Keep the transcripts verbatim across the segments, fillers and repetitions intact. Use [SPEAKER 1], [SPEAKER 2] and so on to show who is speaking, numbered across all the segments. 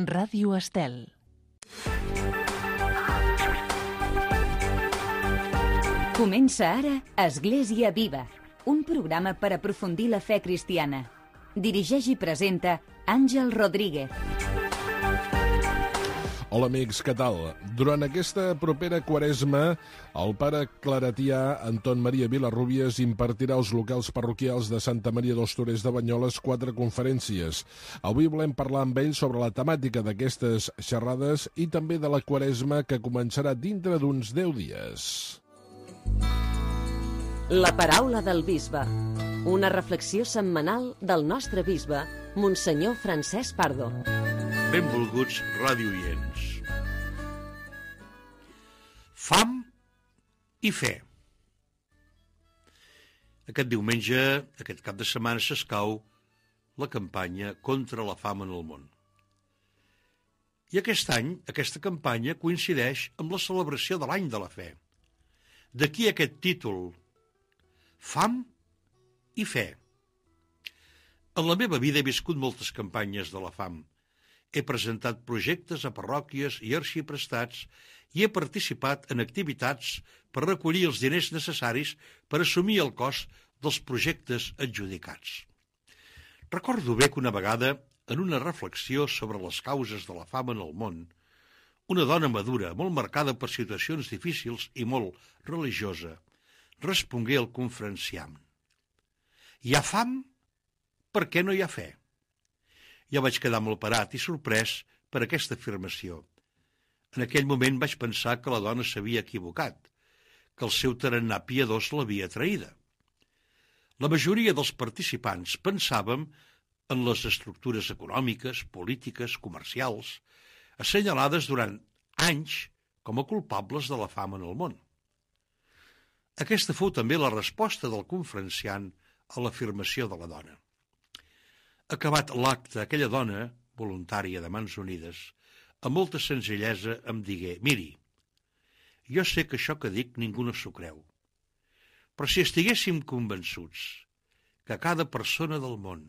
[SPEAKER 1] Ràdio Estel.
[SPEAKER 2] Comença ara Església Viva, un programa per aprofundir la fe cristiana. Dirigeix i presenta Àngel Rodríguez.
[SPEAKER 3] Hola amics, què tal? Durant aquesta propera quaresma, el pare claretià Anton Maria Vilarrubias impartirà als locals parroquials de Santa Maria dels Torers de Banyoles quatre conferències. Avui volem parlar amb ell sobre la temàtica d'aquestes xerrades i també de la quaresma que començarà dintre d'uns deu dies.
[SPEAKER 4] La paraula del bisbe. Una reflexió setmanal del nostre bisbe, Monsenyor Francesc Pardo.
[SPEAKER 5] Benvolguts radioients. Fam i fe. Aquest diumenge, aquest cap de setmana, s'escau la campanya contra la fam en el món. I aquest any, aquesta campanya coincideix amb la celebració de l'any de la fe. D'aquí aquest títol, Fam i fe. En la meva vida he viscut moltes campanyes de la fam. He presentat projectes a parròquies i arxiprestats i he participat en activitats per recollir els diners necessaris per assumir el cost dels projectes adjudicats. Recordo bé que una vegada, en una reflexió sobre les causes de la fam en el món, una dona madura, molt marcada per situacions difícils i molt religiosa, respongué al conferenciant: hi ha fam? Per què no hi ha fe? Jo vaig quedar molt parat i sorprès per aquesta afirmació. En aquell moment vaig pensar que la dona s'havia equivocat, que el seu tarannà piadós l'havia traïda. La majoria dels participants pensàvem en les estructures econòmiques, polítiques, comercials, assenyalades durant anys com a culpables de la fam en el món. Aquesta fou també la resposta del conferenciant a l'afirmació de la dona. Acabat l'acte, aquella dona, voluntària de Mans Unides, amb molta senzillesa em digué: miri, jo sé que això que dic ningú no s'ho creu, però si estiguéssim convençuts que cada persona del món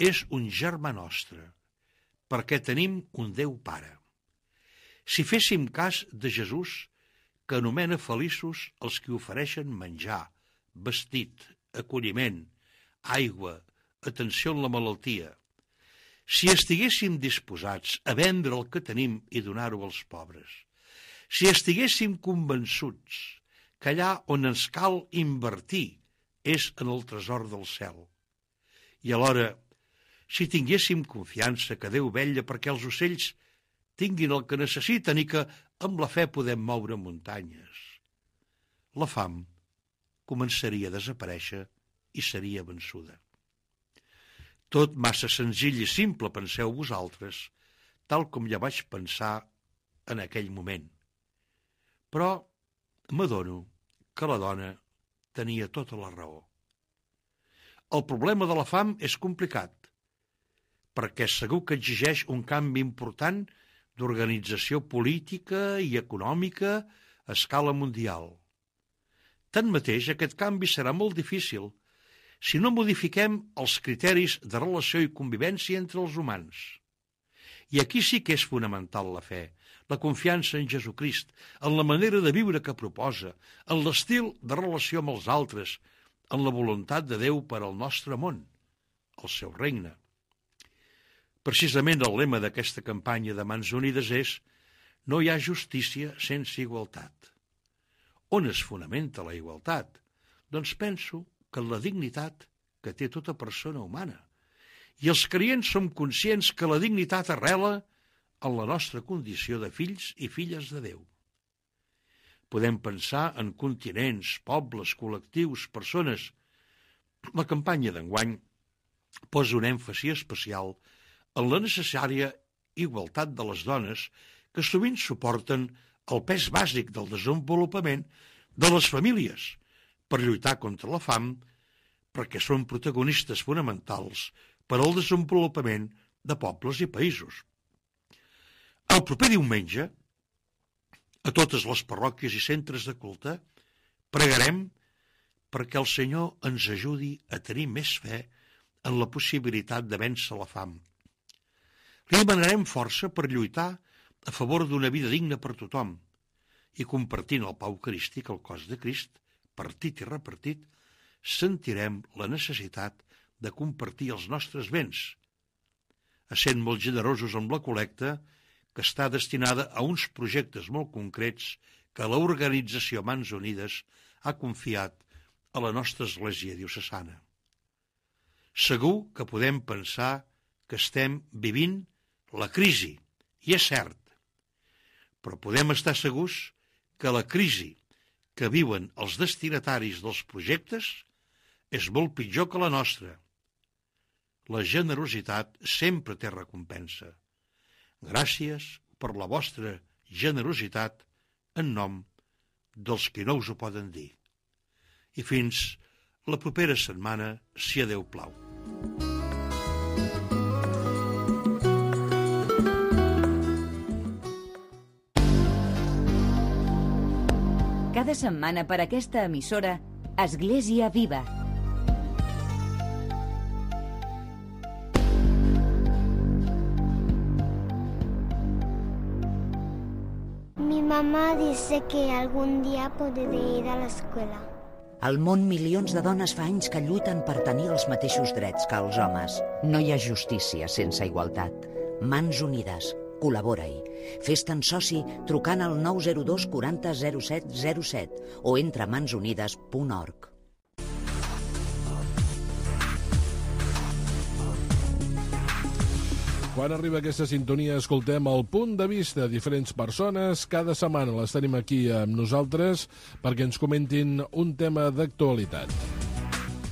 [SPEAKER 5] és un germà nostre, perquè tenim un Déu Pare, si féssim cas de Jesús, que anomena feliços els que ofereixen menjar, vestit, acolliment, aigua, atenció en la malaltia, si estiguéssim disposats a vendre el que tenim i donar-ho als pobres, si estiguéssim convençuts que allà on ens cal invertir és en el tresor del cel, i alhora, si tinguéssim confiança que Déu vetlla perquè els ocells tinguin el que necessiten i que amb la fe podem moure muntanyes, la fam començaria a desaparèixer i seria vençuda. Tot massa senzill i simple, penseu vosaltres, tal com ja vaig pensar en aquell moment. Però m'adono que la dona tenia tota la raó. El problema de la fam és complicat, perquè segur que exigeix un canvi important d'organització política i econòmica a escala mundial. Tanmateix, aquest canvi serà molt difícil si no modifiquem els criteris de relació i convivència entre els humans. I aquí sí que és fonamental la fe, la confiança en Jesucrist, en la manera de viure que proposa, en l'estil de relació amb els altres, en la voluntat de Déu per al nostre món, el seu regne. Precisament el lema d'aquesta campanya de Mans Unides és: no hi ha justícia sense igualtat. On es fonamenta la igualtat? Doncs penso que en la dignitat que té tota persona humana. I els creients som conscients que la dignitat arrela en la nostra condició de fills i filles de Déu. Podem pensar en continents, pobles, col·lectius, persones. La campanya d'enguany posa un èmfasi especial en la necessària igualtat de les dones que sovint suporten el pes bàsic del desenvolupament de les famílies per lluitar contra la fam, perquè són protagonistes fonamentals per al desenvolupament de pobles i països. El proper diumenge, a totes les parròquies i centres de culte, pregarem perquè el Senyor ens ajudi a tenir més fe en la possibilitat de vèncer la fam. Li demanarem força per lluitar a favor d'una vida digna per tothom i compartint el pau eucarístic, el cos de Crist, partit i repartit, sentirem la necessitat de compartir els nostres béns, essent molt generosos amb la col·lecta que està destinada a uns projectes molt concrets que l'organització Mans Unides ha confiat a la nostra església diocesana. Segur que podem pensar que estem vivint la crisi, i és cert, però podem estar segurs que la crisi que viuen els destinataris dels projectes és molt pitjor que la nostra. La generositat sempre té recompensa. Gràcies per la vostra generositat en nom dels que no us ho poden dir. I fins la propera setmana, si a Déu plau.
[SPEAKER 2] Cada setmana per aquesta emissora, Església Viva.
[SPEAKER 1] Mi mamá dice que algún día podré ir a la escuela.
[SPEAKER 6] Al món, milions de dones fa anys que lluiten per tenir els mateixos drets que els homes. No hi ha justícia sense igualtat. Mans Unides. Col·labora-hi. Fes-te'n soci trucant al nou zero dos quaranta zero set zero set o entra a mans unides punt org.
[SPEAKER 3] Quan arriba aquesta sintonia, escoltem el punt de vista de diferents persones. Cada setmana les tenim aquí amb nosaltres perquè ens comentin un tema d'actualitat.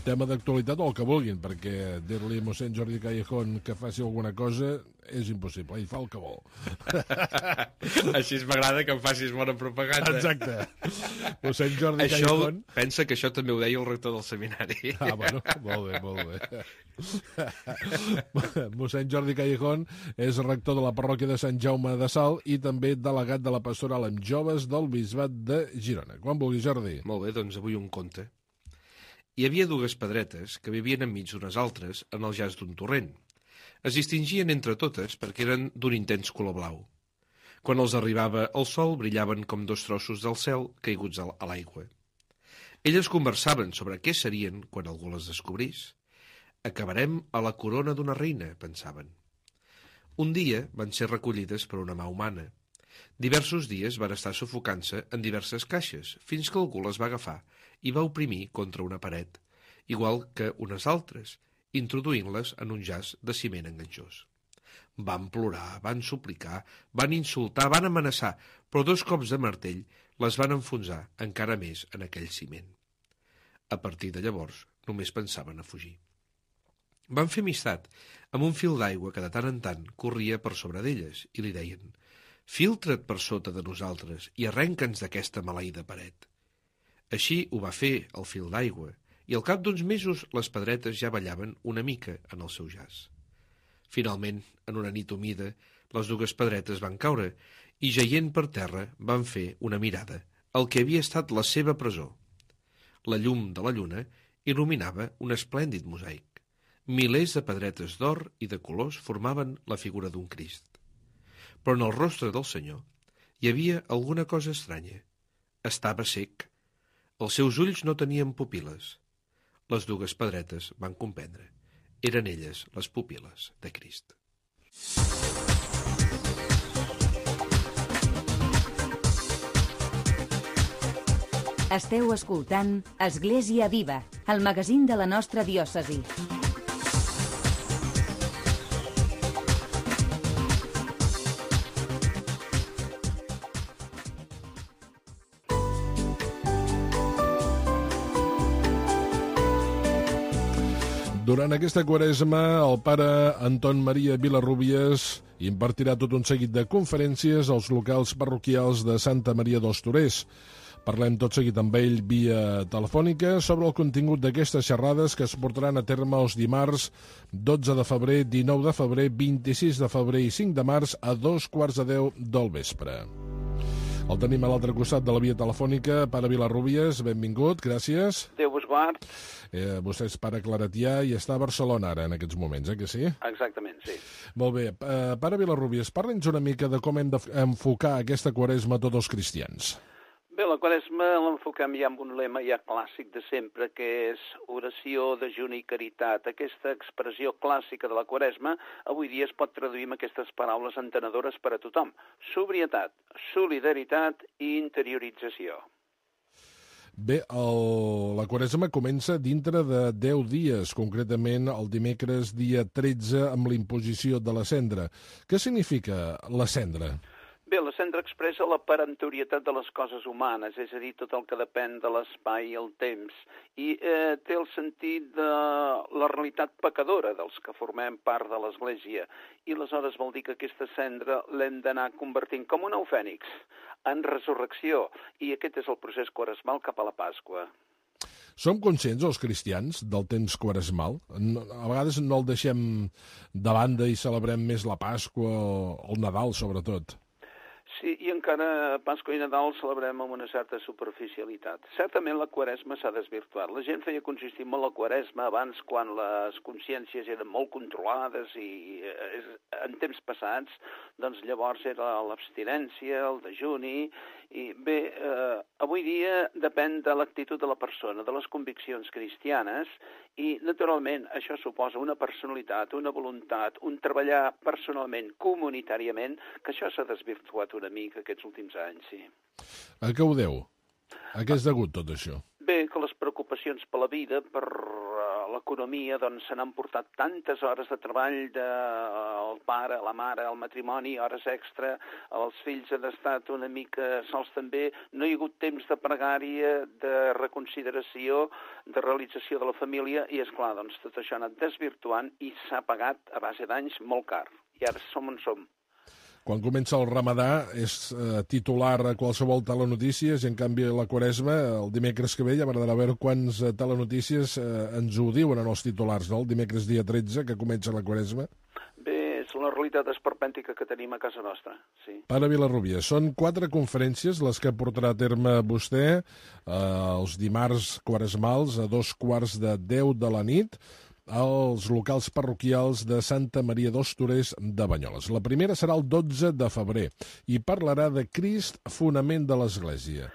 [SPEAKER 3] Tema d'actualitat o el que vulguin, perquè dir-li a mossèn Jordi Callejón que faci alguna cosa és impossible, ell fa el que vol.
[SPEAKER 7] Així m'agrada que em facis bona propaganda.
[SPEAKER 3] Exacte. Mossèn Jordi
[SPEAKER 7] això,
[SPEAKER 3] Callejón...
[SPEAKER 7] Pensa que això també ho deia el rector del seminari.
[SPEAKER 3] Ah, bueno, molt bé, molt bé. Mossèn Jordi Callejón és rector de la parròquia de Sant Jaume de Salt i també delegat de la pastoral amb joves del Bisbat de Girona. Quan vulguis, Jordi.
[SPEAKER 7] Molt bé, doncs avui un conte. Hi havia dues pedretes que vivien enmig d'unes altres en el jaç d'un torrent. Es distingien entre totes perquè eren d'un intens color blau. Quan els arribava el sol, brillaven com dos trossos del cel caiguts a l'aigua. Elles conversaven sobre què serien quan algú les descobrís. Acabarem a la corona d'una reina, pensaven. Un dia van ser recollides per una mà humana. Diversos dies van estar sufocant-se en diverses caixes, fins que algú les va agafar i va oprimir contra una paret, igual que unes altres, introduint-les en un jaç de ciment enganxós. Van plorar, van suplicar, van insultar, van amenaçar, però dos cops de martell les van enfonsar encara més en aquell ciment. A partir de llavors, només pensaven a fugir. Van fer amistat amb un fil d'aigua que de tant en tant corria per sobre d'elles i li deien: «Filtra't per sota de nosaltres i arrenca'ns d'aquesta maleïda paret». Així ho va fer el fil d'aigua, i al cap d'uns mesos les pedretes ja ballaven una mica en el seu jaç. Finalment, en una nit humida, les dues pedretes van caure i, jaient per terra, van fer una mirada al que havia estat la seva presó. La llum de la lluna il·luminava un esplèndid mosaic. Milers de pedretes d'or i de colors formaven la figura d'un Crist. Però en el rostre del Senyor hi havia alguna cosa estranya. Estava sec. Els seus ulls no tenien pupil·les. Les dues pedretes van comprendre. Eren elles les pupil·les de Crist.
[SPEAKER 2] Esteu escoltant Església Viva, el magazín de la nostra diòcesi.
[SPEAKER 3] Durant aquesta quaresma, el pare Anton Maria Vilarrubias impartirà tot un seguit de conferències als locals parroquials de Santa Maria dels Torers. Parlem tot seguit amb ell via telefònica sobre el contingut d'aquestes xerrades que es portaran a terme els dimarts dotze de febrer, dinou de febrer, vint-i-sis de febrer i cinc de març a dos quarts de deu del vespre. El tenim a l'altre costat de la via telefònica. Pare Vilarrubias, benvingut, gràcies.
[SPEAKER 8] Déu vos quart.
[SPEAKER 3] Eh, vostè és pare claretià i està a Barcelona ara, en aquests moments, eh, que sí?
[SPEAKER 8] Exactament, sí.
[SPEAKER 3] Molt bé. Eh, pare Vilarrubias, parla'ns una mica de com hem d'enfocar aquesta quaresma tots els cristians.
[SPEAKER 8] Bé, la quaresma l'enfoquem ja amb un lema ja clàssic de sempre, que és oració, dejuni i caritat. Aquesta expressió clàssica de la quaresma avui dia es pot traduir amb aquestes paraules entenedores per a tothom. Sobrietat, solidaritat i interiorització.
[SPEAKER 3] Bé, el, la quaresma comença dintre de deu dies, concretament el dimecres dia tretze amb l'imposició de la cendra. Què significa la cendra?
[SPEAKER 8] Bé, la cendra expressa la perentorietat de les coses humanes, és a dir, tot el que depèn de l'espai i el temps, i eh, té el sentit de la realitat pecadora dels que formem part de l'Església, i aleshores vol dir que aquesta cendra l'hem d'anar convertint com un ou fènix en resurrecció, i aquest és el procés quaresmal cap a la Pasqua.
[SPEAKER 3] Som conscients, els cristians, del temps quaresmal? No, a vegades no el deixem de banda i celebrem més la Pasqua o el Nadal, sobretot.
[SPEAKER 8] Sí, i encara Pasqua i Nadal celebrem amb una certa superficialitat. Certament la quaresma s'ha desvirtuat. La gent feia consistir molt la quaresma abans, quan les consciències eren molt controlades i en temps passats, doncs llavors era l'abstinència, el dejuni, i bé, eh, avui dia depèn de l'actitud de la persona, de les conviccions cristianes, i naturalment això suposa una personalitat, una voluntat, un treballar personalment, comunitàriament, que això s'ha desvirtuat una mica aquests últims anys, sí.
[SPEAKER 3] A què ho deu? A què és degut tot això?
[SPEAKER 8] Bé, que les preocupacions per la vida, per uh, l'economia, doncs se n'han portat tantes hores de treball del pare, la mare, el matrimoni, hores extra, els fills han estat una mica sols també, no hi ha hagut temps de pregària, de reconsideració, de realització de la família, i és clar, doncs tot això ha anat desvirtuant i s'ha pagat a base d'anys molt car. I ara som on som.
[SPEAKER 3] Quan comença el ramadà és eh, titular a qualsevol telenotícies i en canvi la quaresma, el dimecres que ve, ja m'agradarà veure quants eh, telenotícies eh, ens ho diuen en els titulars, no? El dimecres dia tretze, que comença la quaresma.
[SPEAKER 8] Bé, és la realitat esperpèntica que tenim a casa nostra, sí.
[SPEAKER 3] Pare Vilarrubias, són quatre conferències les que portarà a terme vostè eh, els dimarts quaresmals a dos quarts de deu de la nit, als locals parroquials de Santa Maria dels Torers de Banyoles. La primera serà el dotze de febrer i parlarà de Crist, fonament de l'Església.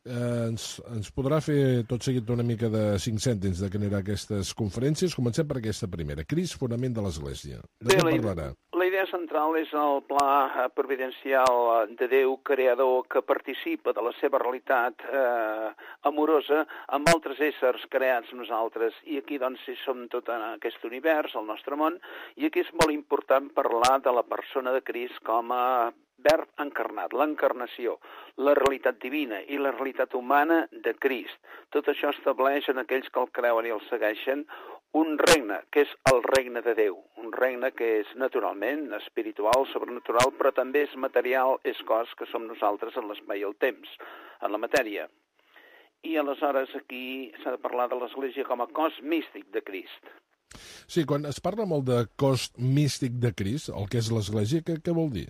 [SPEAKER 3] Eh, ens, ens podrà fer tot seguit una mica de cinc cèntims de què anirà aquestes conferències? Comencem per aquesta primera, Crist, fonament de l'Església. De què parlarà?
[SPEAKER 8] La idea central és el pla providencial de Déu creador que participa de la seva realitat eh, amorosa amb altres éssers creats nosaltres. I aquí doncs si som tot en aquest univers, el nostre món, i aquí és molt important parlar de la persona de Crist com a verb encarnat, l'encarnació, la realitat divina i la realitat humana de Crist. Tot això estableix en aquells que el creuen i el segueixen un regne, que és el regne de Déu, un regne que és naturalment espiritual, sobrenatural, però també és material, és cos que som nosaltres en l'espai i el temps, en la matèria. I aleshores aquí s'ha de parlar de l'Església com a cos místic de Crist.
[SPEAKER 3] Sí, quan es parla molt de cos místic de Crist, el que és l'Església, què, què vol dir?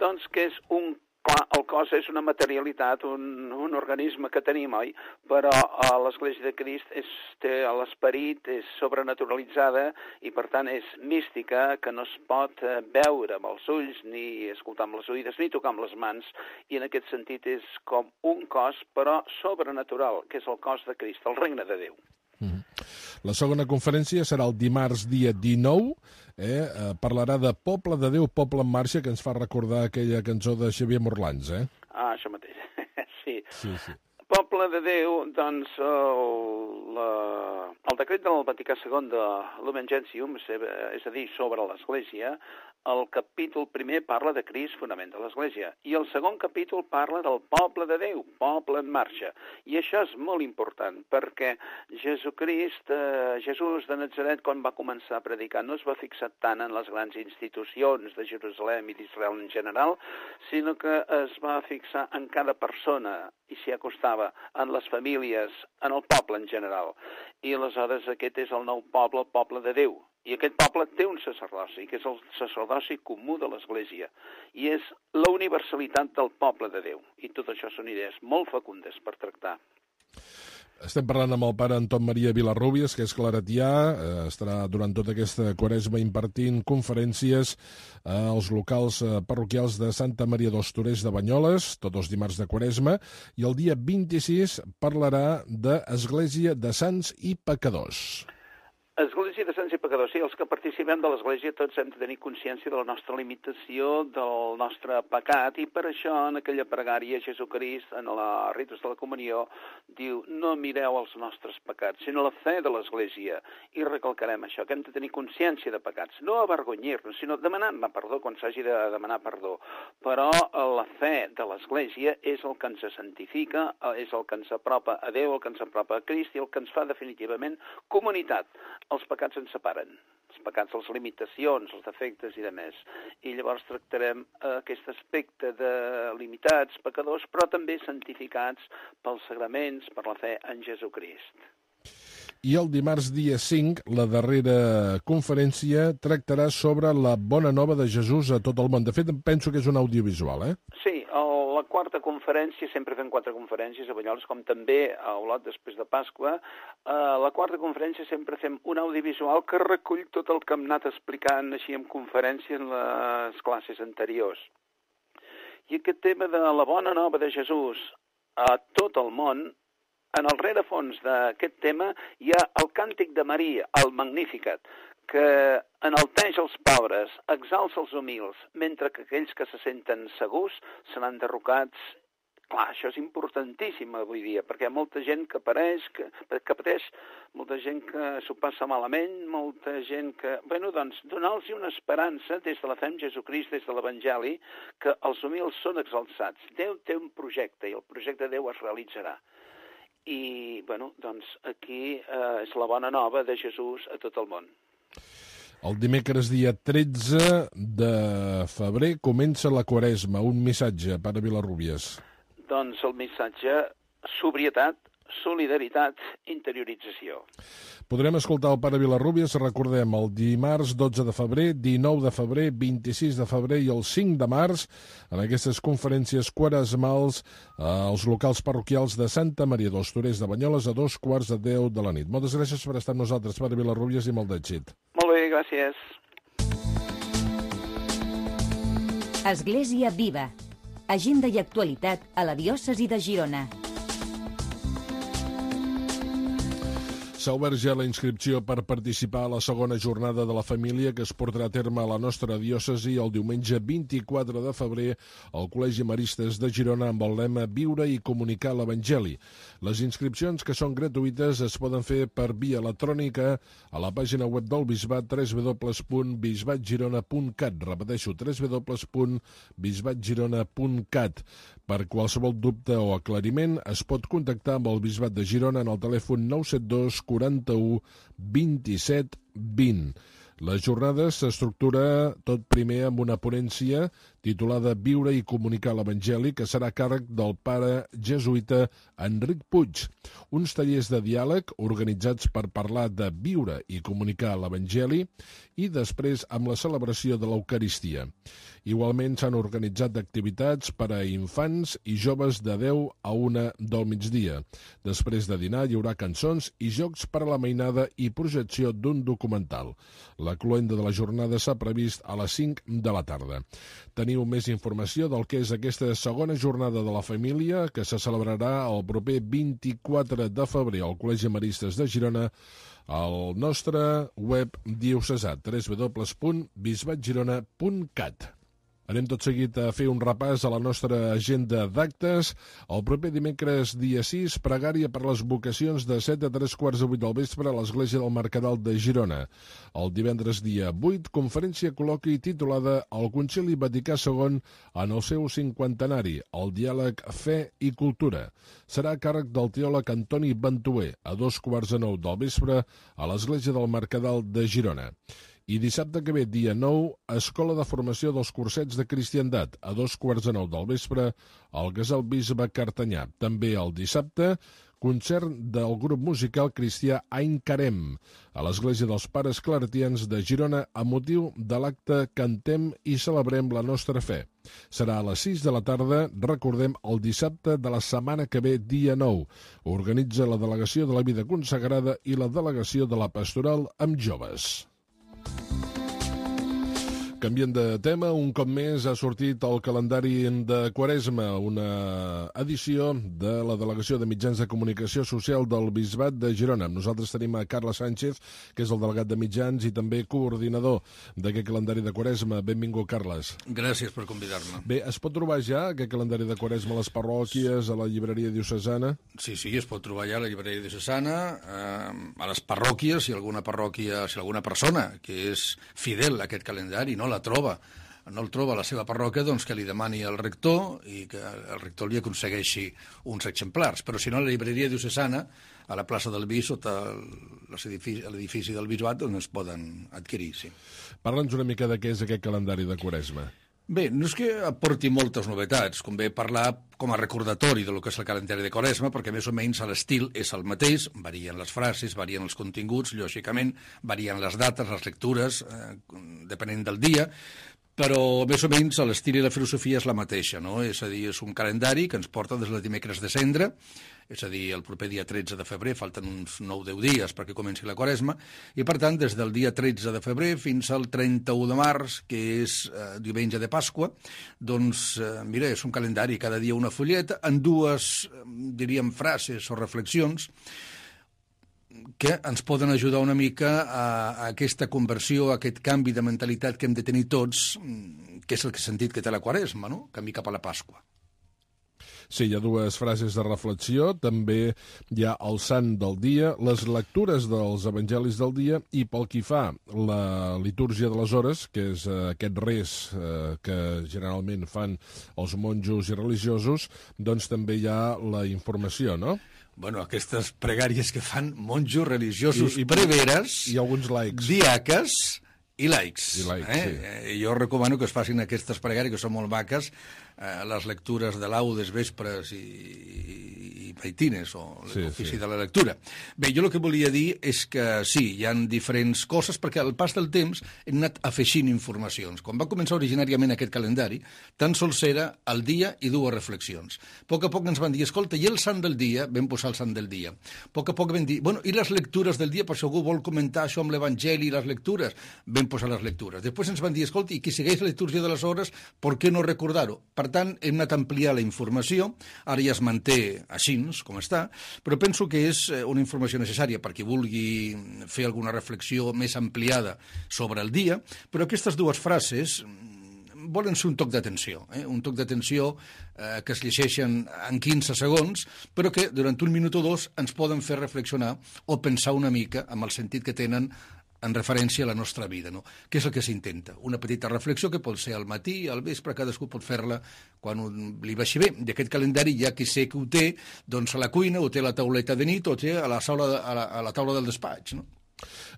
[SPEAKER 8] Doncs que és un, clar, el cos és una materialitat, un, un organisme que tenim, oi? Però uh, l'Església de Crist és, té l'esperit, és sobrenaturalitzada i per tant és mística, que no es pot uh, veure amb els ulls, ni escoltar amb les oïdes, ni tocar amb les mans, i en aquest sentit és com un cos, però sobrenatural, que és el cos de Crist, el regne de Déu.
[SPEAKER 3] Mm-hmm. La segona conferència serà el dimarts dia dinou, eh? eh, parlarà de Poble de Déu, Poble en Marxa, que ens fa recordar aquella cançó de Xavier Morlans, eh?
[SPEAKER 8] Ah, això mateix, sí.
[SPEAKER 3] Sí, sí.
[SPEAKER 8] Poble de Déu, doncs, el, la, el decret del Vaticà segon de Lumen Gentium, és a dir, sobre l'Església, el capítol primer parla de Crist, fonament de l'Església, i el segon capítol parla del poble de Déu, poble en marxa. I això és molt important, perquè Jesucrist, eh, Jesús de Natzaret, quan va començar a predicar, no es va fixar tant en les grans institucions de Jerusalem i d'Israel en general, sinó que es va fixar en cada persona i s'hi acostava, en les famílies, en el poble en general. I aleshores aquest és el nou poble, el poble de Déu. I aquest poble té un sacerdoci, que és el sacerdoci comú de l'Església, i és la universalitat del poble de Déu. I tot això són idees molt fecundes per tractar.
[SPEAKER 3] Estem parlant amb el pare Anton Maria Vilarrubias, que és claretià, eh, estarà durant tota aquesta quaresma impartint conferències als locals parroquials de Santa Maria dels Torers de Banyoles, tots els dimarts de quaresma, i el dia vint-i-sis parlarà d'Església de Sants i Pecadors.
[SPEAKER 8] Església de Sants i Pecadors, sí, els que participem de l'Església tots hem de tenir consciència de la nostra limitació, del nostre pecat, i per això en aquella pregària Jesucrist, en la ritus de la comunió, diu, no mireu els nostres pecats, sinó la fe de l'Església, i recalcarem això, que hem de tenir consciència de pecats, no avergonyir-nos, sinó demanar-ne perdó quan s'hagi de demanar perdó, però la fe de l'Església és el que ens santifica, és el que ens apropa a Déu, el que ens apropa a Crist i el que ens fa definitivament comunitat. Els pecats ens separen, els pecats, les limitacions, els defectes i de més. I llavors tractarem aquest aspecte de limitats, pecadors, però també santificats pels sagraments, per la fe en Jesucrist.
[SPEAKER 3] I el dimarts dia cinc, la darrera conferència tractarà sobre la bona nova de Jesús a tot el món. De fet, penso que és un audiovisual, eh?
[SPEAKER 8] Sí, el, la quarta conferència, sempre fem quatre conferències a Banyoles, com també a Olot després de Pasqua. A la quarta conferència sempre fem un audiovisual que recull tot el que hem anat explicant així en conferència en les classes anteriors. I aquest tema de la bona nova de Jesús a tot el món, en el rerefons d'aquest tema hi ha el càntic de Maria, el Magnificat, que enalteix els pobres, exalça els humils, mentre que aquells que se senten segurs seran derrocats. Clar, això és importantíssim avui dia, perquè hi ha molta gent que apareix, que, que pateix, molta gent que s'ho passa malament, molta gent que... Bueno, doncs, donar-los una esperança des de la fe en Jesucrist, des de l'Evangeli, que els humils són exalçats. Déu té un projecte i el projecte de Déu es realitzarà. I, bueno, doncs aquí eh, és la bona nova de Jesús a tot el món.
[SPEAKER 3] El dimecres dia tretze de febrer comença la Quaresma. Un missatge, pare Vilarrubias.
[SPEAKER 8] Doncs el missatge, sobrietat, solidaritat, interiorització.
[SPEAKER 3] Podrem escoltar el pare Vilarrubias, recordem, el dimarts dotze de febrer, dinou de febrer, vint-i-sis de febrer i el cinc de març, en aquestes conferències quaresmals als locals parroquials de Santa Maria dels Torers de Banyoles a dos quarts de deu de la nit. Moltes gràcies per estar amb nosaltres, pare Vilarrubias, i molt d'èxit.
[SPEAKER 8] Molt bé, gràcies.
[SPEAKER 2] Església Viva. Agenda i actualitat a la diòcesi de Girona.
[SPEAKER 3] S'ha obert ja la inscripció per participar a la segona jornada de la família que es portarà a terme a la nostra diòcesi el diumenge vint-i-quatre de febrer al Col·legi Maristes de Girona amb el lema Viure i comunicar l'Evangeli. Les inscripcions, que són gratuïtes, es poden fer per via electrònica a la pàgina web del Bisbat w w w punt bisbat girona punt cat. Repeteixo, w w w punt bisbat girona punt cat. Per qualsevol dubte o aclariment es pot contactar amb el Bisbat de Girona en el telèfon nou set dos quaranta-u vint-i-set vint. La jornada s'estructura tot primer amb una ponència titulada Viure i comunicar l'Evangeli, que serà a càrrec del pare jesuïta Enric Puig. Uns tallers de diàleg organitzats per parlar de viure i comunicar l'Evangeli i després amb la celebració de l'Eucaristia. Igualment s'han organitzat activitats per a infants i joves de deu a una del migdia. Després de dinar hi haurà cançons i jocs per a la mainada i projecció d'un documental. La cloenda de la jornada s'ha previst a les cinc de la tarda. Teniu més informació del que és aquesta segona jornada de la família que se celebrarà el proper vint-i-quatre de febrer al Col·legi Maristes de Girona al nostre web diocesà w w w punt bisbat girona punt cat. Anem tot seguit a fer un repàs a la nostra agenda d'actes. El proper dimecres, dia sis, pregària per les vocacions de set a tres quarts de vuit del vespre a l'Església del Mercadal de Girona. El divendres, dia vuit, conferència col·loqui titulada El Concili Vaticà segon en el seu cinquantenari, el diàleg Fe i Cultura. Serà a càrrec del teòleg Antoni Ventuer, a dos quarts de nou del vespre a l'Església del Mercadal de Girona. I dissabte que ve, dia nou, Escola de Formació dels Cursets de Cristiandat, a dos quarts de nou del vespre, al Casal Bisbe Cartanyà. També el dissabte, concert del grup musical cristià Ain Carem a l'Església dels Pares Claretians de Girona a motiu de l'acte Cantem i celebrem la nostra fe. Serà a les sis de la tarda, recordem, el dissabte de la setmana que ve, dia nou. Organitza la Delegació de la Vida Consagrada i la Delegació de la Pastoral amb Joves. Canviant de tema, un cop més ha sortit el calendari de Quaresma, una edició de la Delegació de Mitjans de Comunicació Social del Bisbat de Girona. Nosaltres tenim a Carles Sánchez, que és el delegat de mitjans i també coordinador d'aquest calendari de Quaresma. Benvingut, Carles.
[SPEAKER 9] Gràcies per convidar-me.
[SPEAKER 3] Bé, es pot trobar ja aquest calendari de Quaresma a les parròquies, a la llibreria diocesana?
[SPEAKER 9] Sí, sí, es pot trobar ja a la llibreria diocesana, eh, a les parròquies, si alguna parròquia, si alguna persona que és fidel a aquest calendari no la troba, no el troba a la seva parròquia, doncs que li demani al rector i que el rector li aconsegueixi uns exemplars. Però si no, a la llibreria diocesana, a la plaça del Bis, sota l'edifici del Bisbat, doncs es poden adquirir, sí.
[SPEAKER 3] Parla'ns una mica de què és aquest calendari de Quaresma.
[SPEAKER 9] Bé, no és que aporti moltes novetats, convé parlar com a recordatori del que és el calendari de Quaresma, perquè més o menys l'estil és el mateix, varien les frases, varien els continguts, lògicament, varien les dates, les lectures, eh, depenent del dia, però més o menys l'estil i la filosofia és la mateixa, no? És a dir, és un calendari que ens porta des del dimecres de Cendra, és a dir, el proper dia tretze de febrer, falten uns nou deu dies perquè comenci la Quaresma, i per tant, des del dia tretze de febrer fins al trenta-u de març, que és eh, diumenge de Pasqua, doncs, eh, mira, és un calendari, cada dia una fulleta, en dues, eh, diríem, frases o reflexions, que ens poden ajudar una mica a, a aquesta conversió, a aquest canvi de mentalitat que hem de tenir tots, que és el sentit que té la Quaresma, no? Camí cap a la Pasqua.
[SPEAKER 3] Sí, hi ha dues frases de reflexió, també hi ha el sant del dia, les lectures dels evangelis del dia i pel que fa la litúrgia de les hores, que és eh, aquest res eh, que generalment fan els monjos i religiosos, doncs també hi ha la informació, no?
[SPEAKER 9] Bueno, aquestes pregàries que fan monjos religiosos
[SPEAKER 3] I, i
[SPEAKER 9] preveres,
[SPEAKER 3] i alguns laics,
[SPEAKER 9] diaques i laics.
[SPEAKER 3] I laics,
[SPEAKER 9] eh?
[SPEAKER 3] sí.
[SPEAKER 9] Jo recomano que es facin aquestes pregàries, que són molt maques, eh, les lectures de laudes, vespres i, i maitines, o l'ofici sí, sí. de la lectura. Bé, jo el que volia dir és que sí, hi ha diferents coses, perquè al pas del temps hem anat afegint informacions. Quan va començar originàriament aquest calendari, tan sols era el dia i dues reflexions. A poc a poc ens van dir, escolta, i el sant del dia? Vam posar el sant del dia. A poc a poc vam dir, bueno, i les lectures del dia, per si algú vol comentar això amb l'Evangeli i les lectures? Vam posar les lectures. Després ens van dir, escolta, i qui segueix la litúrgia de les hores, per què no recordar-ho? Per tant, hem anat a ampliar la informació, ara ja es manté així, com està, però penso que és una informació necessària per qui vulgui fer alguna reflexió més ampliada sobre el dia, però aquestes dues frases volen ser un toc d'atenció, eh? un toc d'atenció eh, que es llegeixen en quinze segons, però que durant un minut o dos ens poden fer reflexionar o pensar una mica amb el sentit que tenen en referència a la nostra vida, no? Què és el que s'intenta? Una petita reflexió que pot ser al matí, al vespre, cadascú pot fer-la quan li vagi bé. I aquest calendari, ja qui sé que ho té, doncs a la cuina, o té a la tauleta de nit, o té a la, saula, a la, a la taula del despatx, no?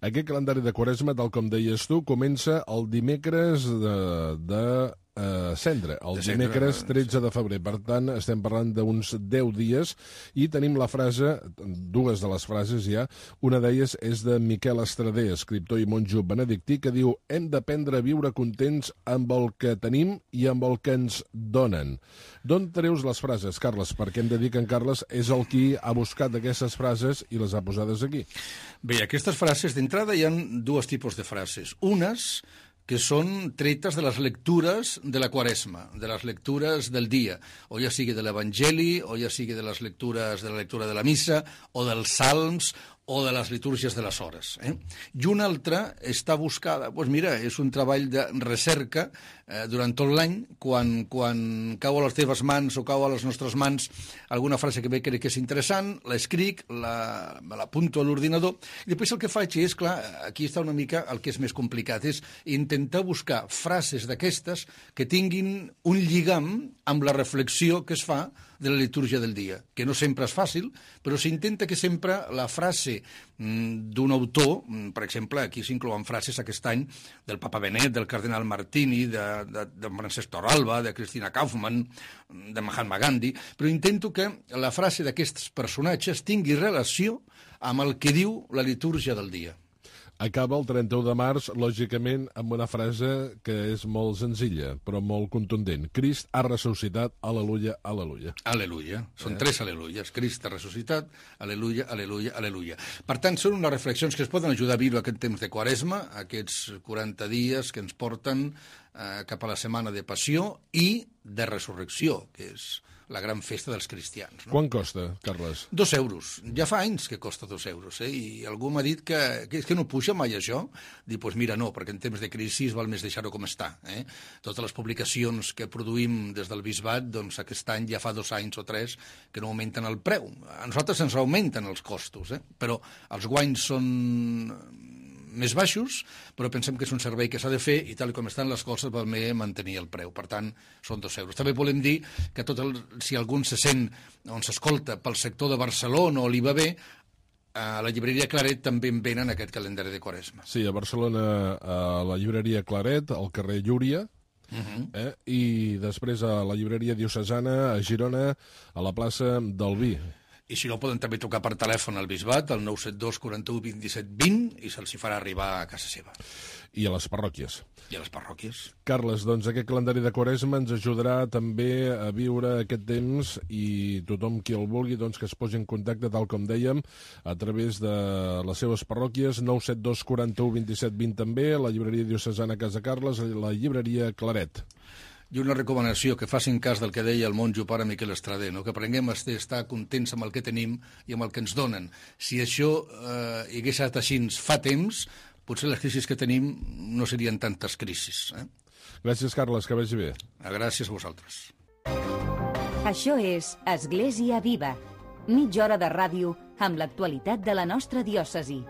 [SPEAKER 3] Aquest calendari de Quaresma, tal com deies tu, comença el dimecres de, de uh, Cendra, el de dimecres tretze de febrer. Per tant, estem parlant d'uns deu dies i tenim la frase, dues de les frases ja, una d'elles és de Miquel Estrader, escriptor i monjo benedictí, que diu: hem d'aprendre a viure contents amb el que tenim i amb el que ens donen. D'on treus les frases, Carles? Perquè hem de dir que en Carles és el qui ha buscat aquestes frases i les ha posades aquí.
[SPEAKER 9] Bé, aquestes frases, d'entrada hi ha dos tipus de frases. Unes que són tretes de les lectures de la Quaresma, de les lectures del dia, o ja sigui de l'Evangeli, o ja sigui de les lectures de la lectura de la missa, o dels salms, o de les litúrgies de les hores. Eh? I una altra està buscada, doncs mira, és un treball de recerca eh, durant tot l'any, quan, quan cau a les teves mans o cau a les nostres mans alguna frase que bé crec que és interessant, l'escric, la, me l'apunto a l'ordinador, i després el que faig és, clar, aquí està una mica el que és més complicat, és intentar buscar frases d'aquestes que tinguin un lligam amb la reflexió que es fa de la litúrgia del dia, que no sempre és fàcil, però s'intenta que sempre la frase d'un autor, per exemple, aquí s'inclouen frases aquest any del Papa Benet, del Cardenal Martini, de, de, de Francesc Torralba, de Cristina Kaufmann, de Mahatma Gandhi, però intento que la frase d'aquests personatges tingui relació amb el que diu la litúrgia del dia.
[SPEAKER 3] Acaba el trenta-u de març, lògicament, amb una frase que és molt senzilla, però molt contundent. Crist ha ressuscitat, aleluia, aleluia.
[SPEAKER 9] Aleluia. Són eh? tres aleluies. Crist ha ressuscitat, aleluia, aleluia, aleluia. Per tant, són unes reflexions que es poden ajudar a viure aquest temps de Quaresma, aquests quaranta dies que ens porten eh, cap a la setmana de Passió i de Resurrecció, que és la gran festa dels cristians. No?
[SPEAKER 3] Quant costa, Carles?
[SPEAKER 9] Dos euros. Ja fa anys que costa dos euros, eh? I algú m'ha dit que, que és que no puja mai això. Dic, doncs mira, no, perquè en temps de crisi val més deixar-ho com està. Eh? Totes les publicacions que produïm des del bisbat, doncs aquest any ja fa dos anys o tres que no augmenten el preu. A nosaltres ens augmenten els costos, eh? Però els guanys són més baixos, però pensem que és un servei que s'ha de fer i tal com estan les coses val més mantenir el preu. Per tant, són dos euros. També volem dir que tot el, si algú se sent on s'escolta pel sector de Barcelona o li va bé, a la llibreria Claret també en venen aquest calendari de Quaresma.
[SPEAKER 3] Sí, a Barcelona, a la llibreria Claret, al carrer Llúria, uh-huh. eh? I després a la llibreria diocesana, a Girona, a la plaça del Vi.
[SPEAKER 9] I si no, poden també trucar per telèfon al Bisbat, al nou set dos quaranta-u vint-i-set vint, i se'ls hi farà arribar a casa seva.
[SPEAKER 3] I a les parròquies.
[SPEAKER 9] I a les parròquies.
[SPEAKER 3] Carles, doncs aquest calendari de Quaresma ens ajudarà també a viure aquest temps i tothom qui el vulgui doncs, que es posi en contacte, tal com dèiem, a través de les seves parròquies, nou set dos quaranta-u vint-i-set vint també, la llibreria diocesana Casa Carles, la llibreria Claret.
[SPEAKER 9] I una recomanació, que facin cas del que deia el monjo pare Miquel Estrader, no? Que aprenguem a estar contents amb el que tenim i amb el que ens donen. Si això eh, hi hagués estat així fa temps, potser les crisis que tenim no serien tantes crisis. Eh?
[SPEAKER 3] Gràcies, Carles, que vagi bé.
[SPEAKER 9] Gràcies a vosaltres.
[SPEAKER 2] Això és Església Viva, mitja hora de ràdio amb l'actualitat de la nostra diòcesi.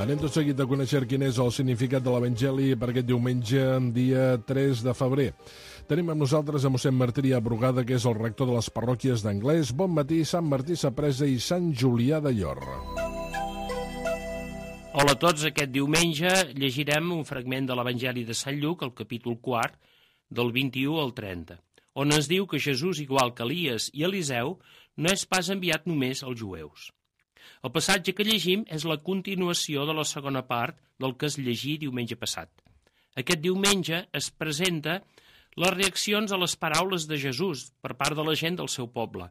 [SPEAKER 3] Anem tot seguit a conèixer quin és el significat de l'Evangeli per aquest diumenge, dia tres de febrer. Tenim amb nosaltres a mossèn Martí Brugada, que és el rector de les parròquies d'Anglès. Bon matí, Sant Martí Sapresa i Sant Julià de Llor.
[SPEAKER 10] Hola a tots, aquest diumenge llegirem un fragment de l'Evangeli de Sant Lluc, el capítol quart, del vint-i-u al trenta, on ens diu que Jesús, igual que Elies i Eliseu, no és pas enviat només als jueus. El passatge que llegim és la continuació de la segona part del que es llegí diumenge passat. Aquest diumenge es presenta les reaccions a les paraules de Jesús per part de la gent del seu poble.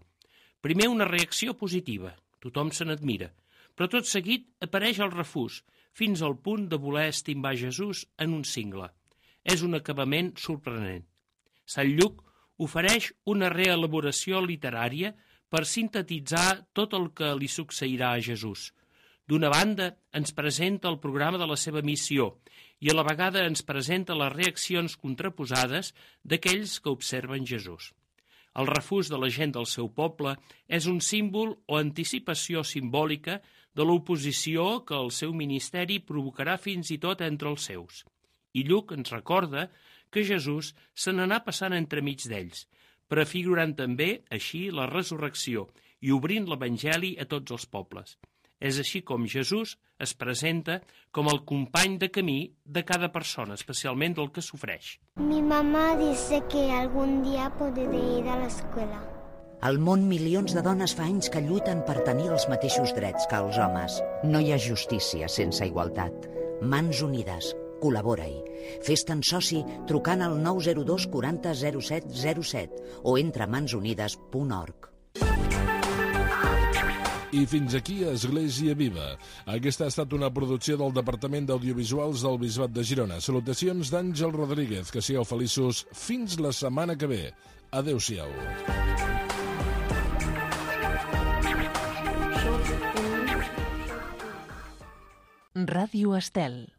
[SPEAKER 10] Primer una reacció positiva, tothom se n'admira, però tot seguit apareix el refús, fins al punt de voler estimbar Jesús en un cingle. És un acabament sorprenent. Sant Lluc ofereix una reelaboració literària per sintetitzar tot el que li succeirà a Jesús. D'una banda, ens presenta el programa de la seva missió i a la vegada ens presenta les reaccions contraposades d'aquells que observen Jesús. El refús de la gent del seu poble és un símbol o anticipació simbòlica de l'oposició que el seu ministeri provocarà fins i tot entre els seus. I Lluc ens recorda que Jesús se n'anà passant entremig d'ells, prefigurant també, així, la resurrecció i obrint l'Evangeli a tots els pobles. És així com Jesús es presenta com el company de camí de cada persona, especialment del que sofreix.
[SPEAKER 1] Mi mamá dice que algún día podré ir a la escuela.
[SPEAKER 6] Al món, milions de dones fa anys que lluiten per tenir els mateixos drets que els homes. No hi ha justícia sense igualtat. Mans unides. Col·labora-hi. Fes-te'n soci trucant al nou zero dos quaranta zero set zero set o entra a mans unides punt org.
[SPEAKER 3] I fins aquí Església Viva. Aquesta ha estat una producció del Departament d'Audiovisuals del Bisbat de Girona. Salutacions d'Àngel Rodríguez. Que sigueu feliços fins la setmana que ve. Adéu-siau.
[SPEAKER 11] Ràdio Estel.